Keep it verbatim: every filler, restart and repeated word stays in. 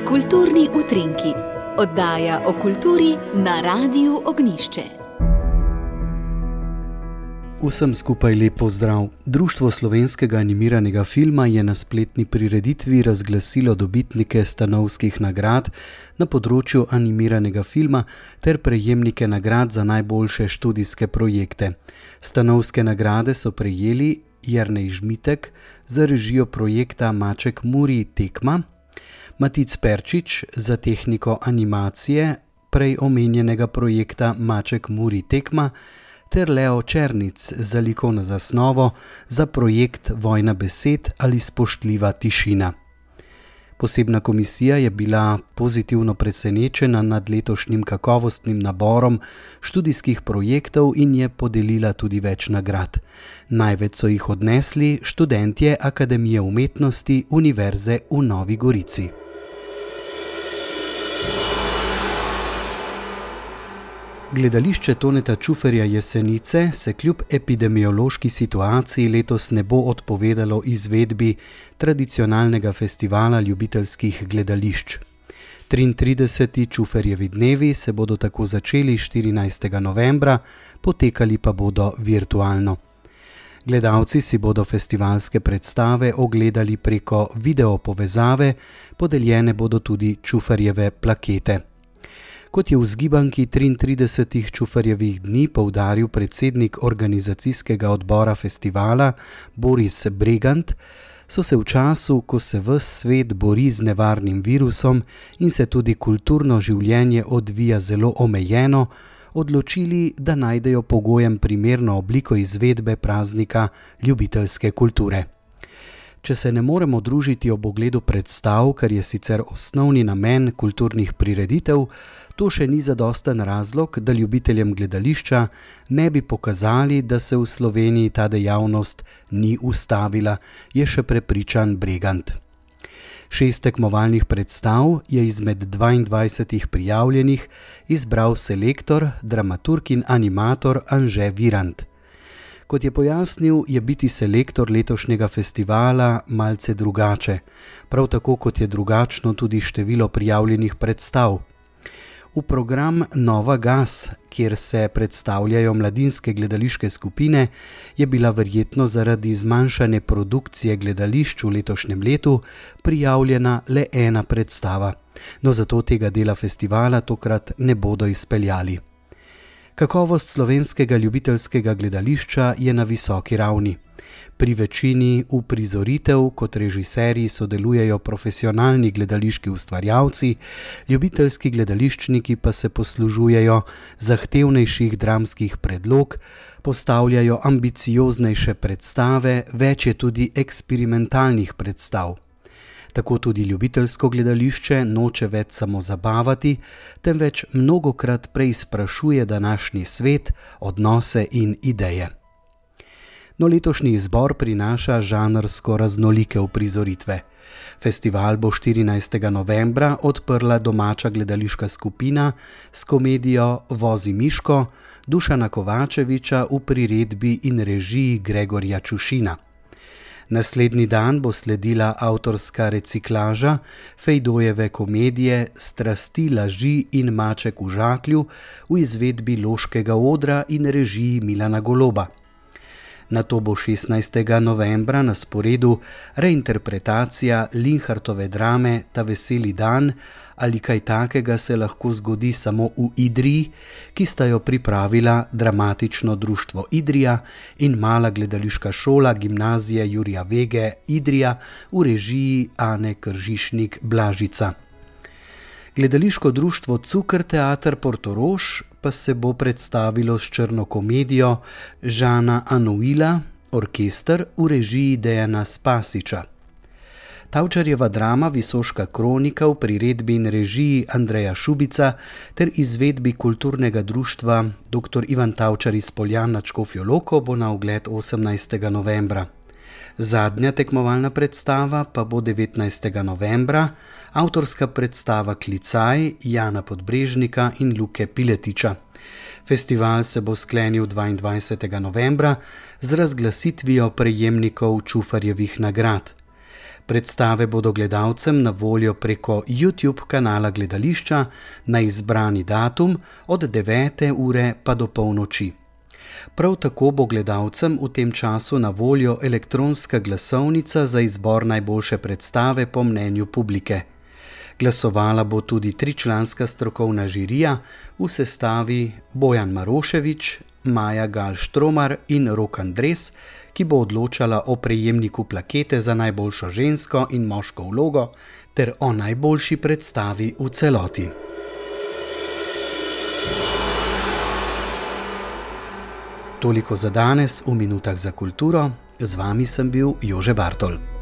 Kulturni utrinki, oddaja o kulturi na Radiu Ognjišče. Vsem skupaj lep pozdrav. Društvo slovenskega animiranega filma je na spletni prireditvi razglasilo dobitnike stanovskih nagrad na področju animiranega filma ter prejemnike nagrad za najboljše študijske projekte. Stanovske nagrade so prejeli Jernej Žmitek za režijo projekta Maček Muri Tekma, Matic Perčič za tehniko animacije prej omenjenega projekta Maček Muri Tekma ter Leo Černic za likovno zasnovo za projekt Vojna besed ali spoštljiva tišina. Posebna komisija je bila pozitivno presenečena nad letošnjim kakovostnim naborom študijskih projektov in je podelila tudi več nagrad. Največ so jih odnesli študentje Akademije umetnosti Univerze v Novi Gorici. Gledališče Toneta Čuferja Jesenice se kljub epidemiološki situaciji letos ne bo odpovedalo izvedbi tradicionalnega festivala ljubiteljskih gledališč. triintrideseti Čuferjevi dnevi se bodo tako začeli štirinajstega novembra, potekali pa bodo virtualno. Gledalci si bodo festivalske predstave ogledali preko video povezave, podeljene bodo tudi Čuferjeve plakete. Kot je v zgibanki triintridesetih Čuferjevih dni poudaril predsednik organizacijskega odbora festivala Boris Bregant, so se v času, ko se ves svet bori z nevarnim virusom in se tudi kulturno življenje odvija zelo omejeno, odločili, da najdejo pogojem primerno obliko izvedbe praznika ljubiteljske kulture. Če se ne moremo družiti ob ogledu predstav, kar je sicer osnovni namen kulturnih prireditev, to še ni zadosten razlog, da ljubiteljem gledališča ne bi pokazali, da se v Sloveniji ta dejavnost ni ustavila, je še prepričan Bregant. Šest tekmovalnih predstav je izmed dvaindvajsetih prijavljenih izbral selektor, dramaturg in animator Anže Virant. Kot je pojasnil, je biti selektor letošnjega festivala malce drugače, prav tako kot je drugačno tudi število prijavljenih predstav. V program Nova gas, kjer se predstavljajo mladinske gledališke skupine, je bila verjetno zaradi zmanjšane produkcije gledališč v letošnjem letu prijavljena le ena predstava, no zato tega dela festivala tokrat ne bodo izpeljali. Kakovost slovenskega ljubiteljskega gledališča je na visoki ravni. Pri večini uprizoritev kot režiserji sodelujejo profesionalni gledališki ustvarjalci, ljubiteljski gledališčniki pa se poslužujejo zahtevnejših dramskih predlog, postavljajo ambicioznejše predstave, več je tudi eksperimentalnih predstav. Tako tudi ljubiteljsko gledališče noče več samo zabavati, temveč mnogokrat preizprašuje današnji svet, odnose in ideje. No, letošnji izbor prinaša žanrsko raznolike uprizoritve. Festival bo štirinajstega novembra odprla domača gledališka skupina s komedijo Vozi Miško Dušana Kovačeviča v priredbi in režiji Gregorja Čušina. Naslednji dan bo sledila avtorska reciklaža Fejdojeve komedije Strasti, laži in maček v žaklju v izvedbi Loškega odra in režiji Milana Goloba. Nato bo šestnajstega novembra na sporedu reinterpretacija Linhartove drame Ta veseli dan ali kaj takega se lahko zgodi samo v Idriji, ki sta jo pripravila Dramatično društvo Idrija in Mala gledališka šola Gimnazije Jurija Vege Idrija v režiji Ane Kržišnik Blažica. Gledališko društvo Cukr teater Portorož pa se bo predstavilo s črno komedijo Žana Anuila, orkester v režiji Dejana Spasiča. Tavčarjeva drama Visoška kronika v priredbi in režiji Andreja Šubica ter izvedbi kulturnega društva doktor Ivan Tavčar iz Poljan nad Škofjo Loko bo na ogled osemnajstega novembra. Zadnja tekmovalna predstava pa bo devetnajstega novembra, avtorska predstava Klicaj Jana Podbrežnika in Luke Piletiča. Festival se bo sklenil dvaindvajsetega novembra z razglasitvijo prejemnikov Čufarjevih nagrad. Predstave bodo gledalcem na voljo preko YouTube kanala gledališča na izbrani datum od devete ure pa do polnoči. Prav tako bo gledalcem v tem času na voljo elektronska glasovnica za izbor najboljše predstave po mnenju publike. Glasovala bo tudi tričlanska strokovna žirija v sestavi Bojan Maroševič, Maja Gal-Štromar in Rok Andres, ki bo odločala o prejemniku plakete za najboljšo žensko in moško vlogo ter o najboljši predstavi v celoti. Toliko za danes v Minutah za kulturo. Z vami sem bil Jože Bartol.